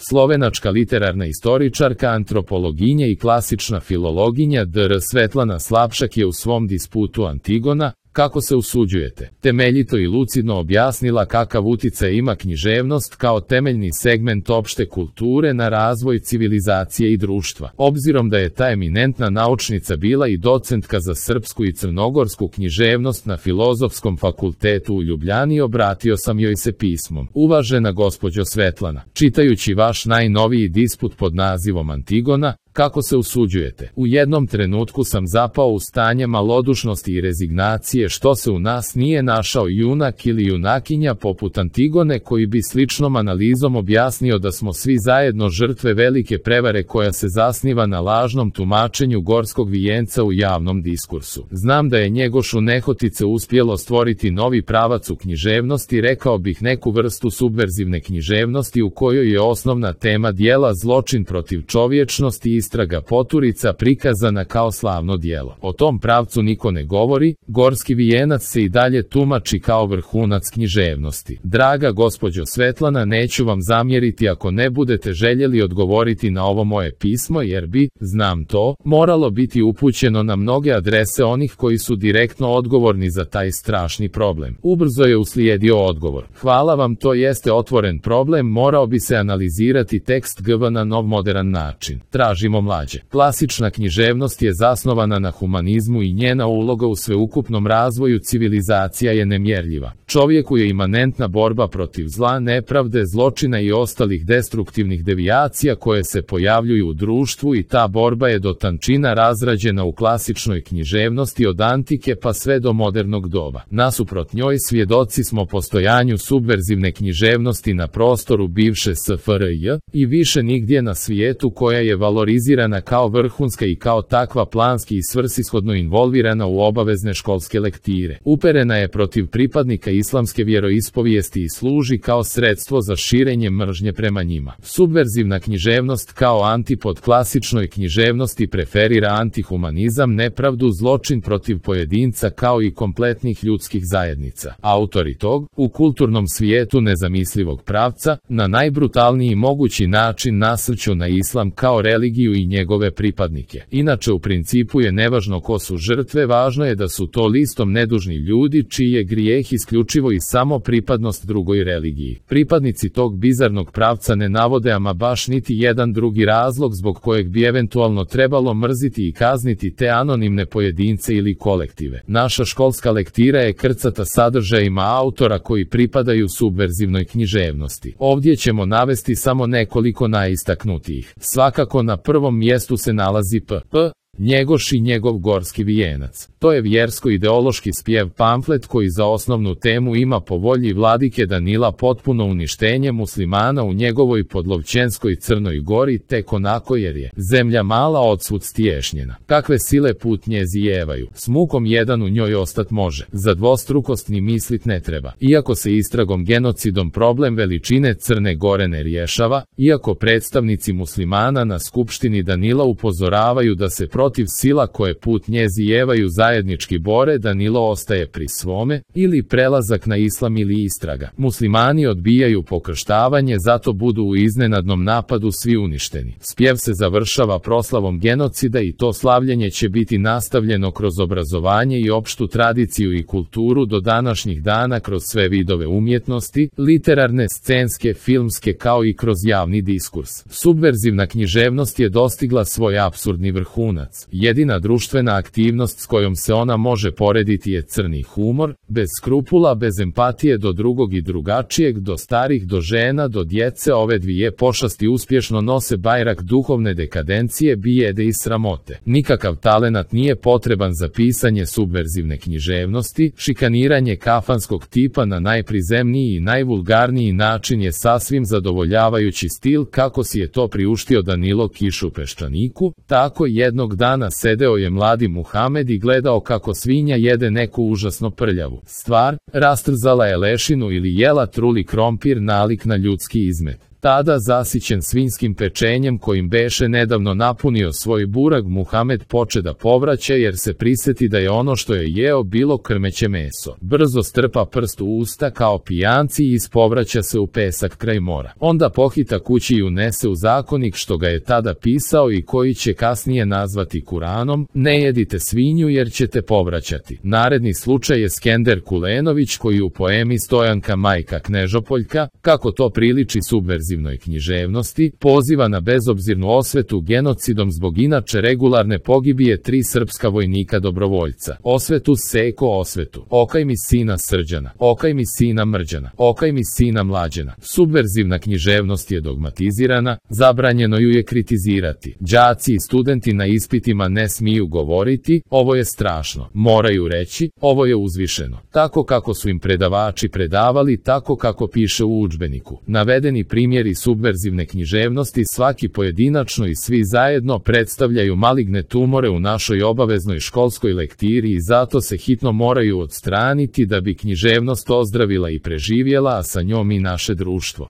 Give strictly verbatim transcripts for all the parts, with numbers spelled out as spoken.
Slovenačka literarna istoričarka, antropologinja i klasična filologinja dr Svetlana Slapšak je u svom disputu Antigona, kako se usuđujete, temeljito i lucidno objasnila kakav uticaj ima književnost kao temeljni segment opšte kulture na razvoj civilizacije i društva. Obzirom da je ta eminentna naučnica bila i docentka za srpsku i crnogorsku književnost na Filozofskom fakultetu u Ljubljani, obratio sam joj se pismom. Uvažena gospođo Svetlana, čitajući vaš najnoviji disput pod nazivom Antigona, kako se usuđujete, u jednom trenutku sam zapao u stanje malodušnosti i rezignacije što se u nas nije našao junak ili junakinja poput Antigone koji bi sličnom analizom objasnio da smo svi zajedno žrtve velike prevare koja se zasniva na lažnom tumačenju gorskog vijenca u javnom diskursu. Znam da je Njegošu nehotice uspjelo stvoriti novi pravac u književnosti, rekao bih neku vrstu subverzivne književnosti u kojoj je osnovna tema dijela zločin protiv čovječnosti i istraga poturica prikazana kao slavno djelo. O tom pravcu niko ne govori, gorski vijenac se i dalje tumači kao vrhunac književnosti. Draga gospođo Svetlana, neću vam zamjeriti ako ne budete željeli odgovoriti na ovo moje pismo, jer bi, znam to, moralo biti upućeno na mnoge adrese onih koji su direktno odgovorni za taj strašni problem. Ubrzo je uslijedio odgovor. Hvala vam, to jeste otvoren problem, morao bi se analizirati tekst G V na nov modern način. Tražimo mlađe. Klasična književnost je zasnovana na humanizmu i njena uloga u sveukupnom razvoju civilizacija je nemjerljiva. Čovjeku je imanentna borba protiv zla, nepravde, zločina i ostalih destruktivnih devijacija koje se pojavljuju u društvu i ta borba je do tančina razrađena u klasičnoj književnosti od antike pa sve do modernog doba. Nasuprot njoj svjedoci smo postojanju subverzivne književnosti na prostoru bivše S F R J i više nigdje na svijetu koja je valorizirana kao vrhunska i kao takva planski i svrsishodno involvirana u obavezne školske lektire. Uperena je protiv pripadnika islamske vjeroispovijesti i služi kao sredstvo za širenje mržnje prema njima. Subverzivna književnost kao antipod klasičnoj književnosti preferira antihumanizam, nepravdu, zločin protiv pojedinca kao i kompletnih ljudskih zajednica. Autori tog, u kulturnom svijetu nezamislivog pravca, na najbrutalniji mogući način nasrću na islam kao religiju i njegove pripadnike. Inače u principu je nevažno ko su žrtve, važno je da su to listom nedužni ljudi čiji je grijeh isključivo i samo pripadnost drugoj religiji. Pripadnici tog bizarnog pravca ne navode ama baš niti jedan drugi razlog zbog kojeg bi eventualno trebalo mrziti i kazniti te anonimne pojedince ili kolektive. Naša školska lektira je krcata sadržajima autora koji pripadaju subverzivnoj književnosti. Ovdje ćemo navesti samo nekoliko najistaknutijih. Svakako na prvom mjestu se nalazi P. P. Njegoš i njegov gorski vijenac. To je vjersko-ideološki spjev pamflet koji za osnovnu temu ima po volji vladike Danila potpuno uništenje muslimana u njegovoj podlovćenskoj Crnoj Gori tek onako jer je zemlja mala odsvud stiješnjena. Kakve sile put nje zijevaju, s mukom jedan u njoj ostat može. Za dvostrukost ni mislit ne treba. Iako se istragom genocidom problem veličine Crne Gore ne rješava, iako predstavnici muslimana na skupštini Danila upozoravaju da se protiv sila koje put nje zijevaju zajednički bore, Danilo ostaje pri svome, ili prelazak na islam ili istraga. Muslimani odbijaju pokrštavanje, zato budu u iznenadnom napadu svi uništeni. Spjev se završava proslavom genocida i to slavljenje će biti nastavljeno kroz obrazovanje i opštu tradiciju i kulturu do današnjih dana kroz sve vidove umjetnosti, literarne, scenske, filmske kao i kroz javni diskurs. Subverzivna književnost je dostigla svoj apsurdni vrhunac. Jedina društvena aktivnost s kojom se ona može porediti je crni humor, bez skrupula, bez empatije do drugog i drugačijeg, do starih, do žena, do djece. Ove dvije pošasti uspješno nose bajrak duhovne dekadencije, bijede i sramote. Nikakav talenat nije potreban za pisanje subverzivne književnosti, šikaniranje kafanskog tipa na najprizemniji i najvulgarniji način je sasvim zadovoljavajući stil kako si je to priuštio Danilo Kiš u Peščaniku. Tako jednog dana sedeo je mladi Muhamed i gledao kako svinja jede neku užasno prljavu stvar, rastrzala je lešinu ili jela truli krompir, nalik na ljudski izmet. Tada zasićen svinjskim pečenjem kojim beše nedavno napunio svoj burag, Muhamed poče da povraća jer se priseti da je ono što je jeo bilo krmeće meso. Brzo strpa prst u usta kao pijanci i ispovraća se u pesak kraj mora. Onda pohita kući i unese u zakonik što ga je tada pisao i koji će kasnije nazvati Kuranom: ne jedite svinju jer ćete povraćati. Naredni slučaj je Skender Kulenović koji u poemi Stojanka majka Knežopoljka, kako to priliči subverzivnoj književnosti, poziva na bezobzirnu osvetu genocidom zbog inače regularne pogibije tri srpska vojnika dobrovoljca. Osvetu seko osvetu. Okaj mi sina Srđana. Okaj mi sina Mrđana. Okaj mi sina Mlađena. Subverzivna književnost je dogmatizirana, zabranjeno ju je kritizirati. Đaci i studenti na ispitima ne smiju govoriti: ovo je strašno. Moraju reći: ovo je uzvišeno. Tako kako su im predavači predavali, tako kako piše u udžbeniku. Navedeni primjeri subverzivne književnosti svaki pojedinačno i svi zajedno predstavljaju maligne tumore u našoj obaveznoj školskoj lektiri i zato se hitno moraju odstraniti da bi književnost ozdravila i preživjela, a sa njom i naše društvo.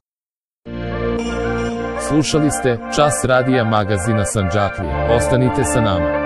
Slušali ste Čas radija magazina Sandžaklija. Ostanite sa nama.